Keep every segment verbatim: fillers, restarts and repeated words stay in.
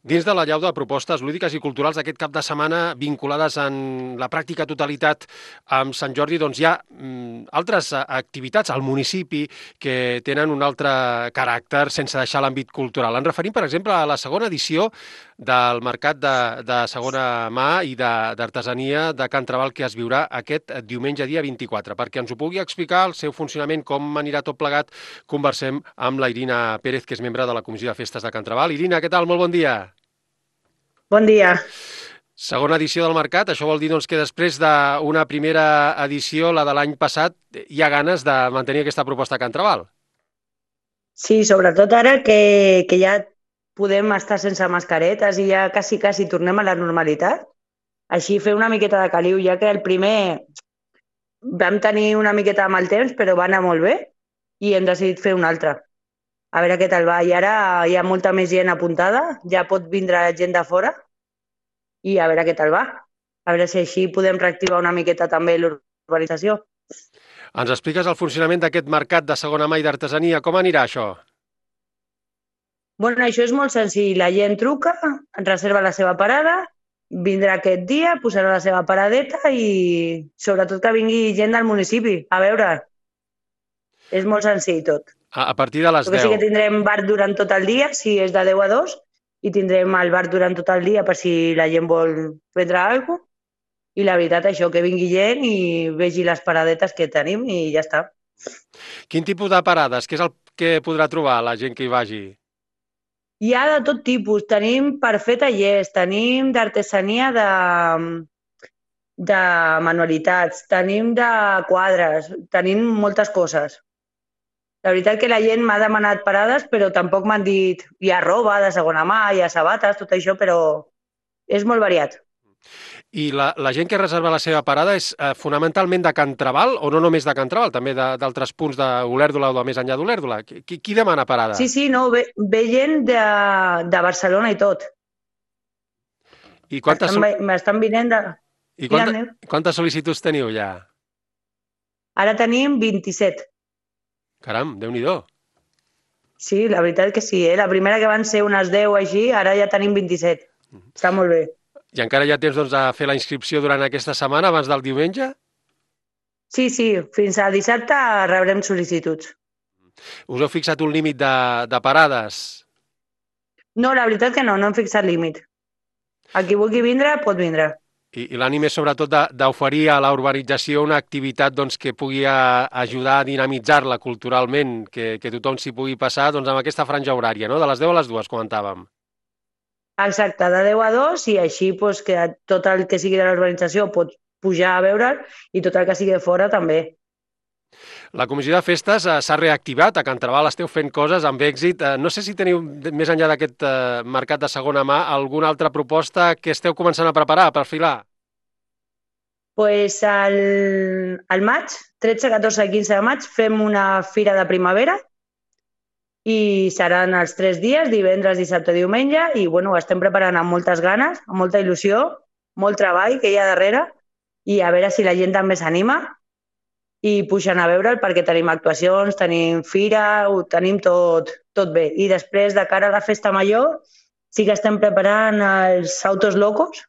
Dins de la llau de propostes lúdiques i culturals d'aquest cap de setmana vinculades en la pràctica totalitat amb Sant Jordi, doncs hi ha mm, altres eh, activitats al municipi que tenen un altre caràcter sense deixar l'àmbit cultural. Ens referim, per exemple, a la segona edició del Mercat de, de Segona Mà i de- d'Artesania de Can Trabal que es viurà aquest diumenge dia vint-i-quatre. Perquè ens ho pugui explicar, el seu funcionament, com anirà tot plegat, conversem amb la Irina Pérez, que és membre de la Comissió de Festes de Can Trabal. Irina, què tal? Molt bon dia. Bon dia. Segona edició del Mercat, això vol dir doncs, que després d'una primera edició, la de l'any passat, hi ha ganes de mantenir aquesta proposta a Can Trabal. Sí, sobretot ara que, que ja podem estar sense mascaretes i ja quasi, quasi tornem a la normalitat. Així fer una miqueta de caliu, ja que el primer vam tenir una miqueta amb el temps, però va anar molt bé i hem decidit fer un altre. A veure què tal va. I ara hi ha molta més gent apuntada, ja pot vindre gent de fora i a veure què tal va. A veure si així podem reactivar una miqueta també l'urbanització. Ens expliques el funcionament d'aquest mercat de segona mà i d'artesania. Com anirà això? Bueno, això és molt senzill. La gent truca, reserva la seva parada, vindrà aquest dia, posarà la seva paradeta i sobretot que vingui gent del municipi. A veure, és molt senzill tot. A, a partir de les El que sí que deu. tindrem bar durant tot el dia, si és de deu a dos, i tindrem el bar durant tot el dia per si la gent vol prendre alguna cosa. I la veritat, això, que vingui gent i vegi les paradetes que tenim i ja està. Quin tipus de parades? Què és el que podrà trobar la gent que hi vagi? Hi ha de tot tipus. Tenim per fer tallers, tenim d'artesania de, de manualitats, tenim de quadres, tenim moltes coses. La veritat que la gent m'ha demanat parades, però tampoc m'han dit hi ha roba de segona mà, hi ha sabates, tot això, però és molt variat. I la, la gent que reserva la seva parada és eh, fonamentalment de Can Trabal o no només de Can Trabal, també de- d'altres punts d'Olèrdola o de més enllà d'Olèrdola? Qui, qui qui demana parada? Sí, sí, no, ve, ve gent de, de Barcelona i tot. I quantes, Estan, sol- ve- m'estan vinent de... i quanta, Digue'm, quantes sol·licituds teniu ja? ara tenim vint-i-set. Caram, Déu-n'hi-do. Sí, la veritat que sí, eh? La primera que van ser unes deu així, ara ja tenim vint-i-set. Està molt bé. I encara hi ha temps doncs, a fer la inscripció durant aquesta setmana, abans del diumenge? Sí, sí, fins a dissabte rebrem sol·licituds. Us heu fixat un límit de, de parades? No, la veritat que no, no hem fixat límit. El qui vulgui vindre, pot vindre. I, i l'ànim és sobretot de- d'oferir a la urbanització una activitat doncs, que pugui a, ajudar a dinamitzar-la culturalment, que, que tothom s'hi pugui passar doncs, amb aquesta franja horària, no? De les deu a les dues, comentàvem. Exacte, de deu a dos i així doncs, que tot el que sigui de l'urbanització pot pujar a veure'l i tot el que sigui de fora també. La comissió de festes eh, s'ha reactivat, a Can Trabal esteu fent coses amb èxit. Eh, no sé si teniu, de- més enllà d'aquest eh, mercat de segona mà, alguna altra proposta que esteu començant a preparar, per filar? Pues al, al maig, tretze, catorze i quinze de maig, fem una fira de primavera i seran els tres dies, divendres, dissabte, diumenge, i bueno, ho estem preparant amb moltes ganes, amb molta il·lusió, molt treball que hi ha darrere, i a veure si la gent també s'anima i pugen a veure'l perquè tenim actuacions, tenim fira, ho tenim tot, tot bé. I després, de cara a la festa major, sí que estem preparant els autos locos,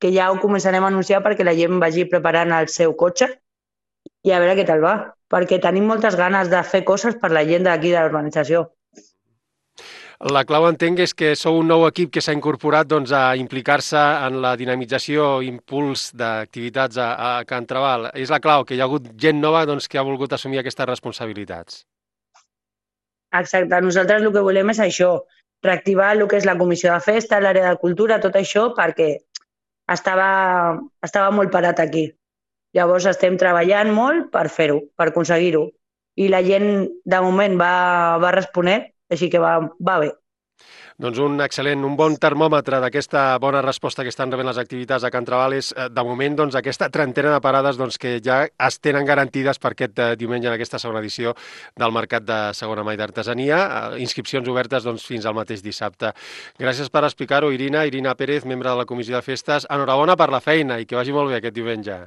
que ja ho començarem a anunciar perquè la gent vagi preparant el seu cotxe i a veure què tal va, perquè tenim moltes ganes de fer coses per la gent d'aquí de la urbanització. La clau, entenc, és que sou un nou equip que s'ha incorporat doncs, a implicar-se en la dinamització, impuls d'activitats a, a Can Trabal. És la clau, que hi ha hagut gent nova doncs, que ha volgut assumir aquestes responsabilitats. Exacte, nosaltres el que volem és això, reactivar el que és la comissió de festa, l'àrea de cultura, tot això, perquè estava, estava molt parat aquí. Llavors estem treballant molt per fer-ho, per aconseguir-ho. I la gent, de moment, va, va responent, així que va, va bé. Doncs un excel·lent, un bon termòmetre d'aquesta bona resposta que estan rebent les activitats a Can Trabal és, eh, de moment, doncs, aquesta trentena de parades doncs, que ja es tenen garantides per aquest eh, diumenge en aquesta segona edició del Mercat de Segona Mà i d'Artesania. Eh, inscripcions obertes doncs, fins al mateix dissabte. Gràcies per explicar-ho, Irina. Irina Pérez, membre de la Comissió de Festes. Enhorabona per la feina i que vagi molt bé aquest diumenge.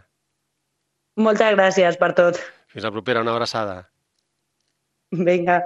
Moltes gràcies per tot. Fins la propera, una abraçada. Vinga.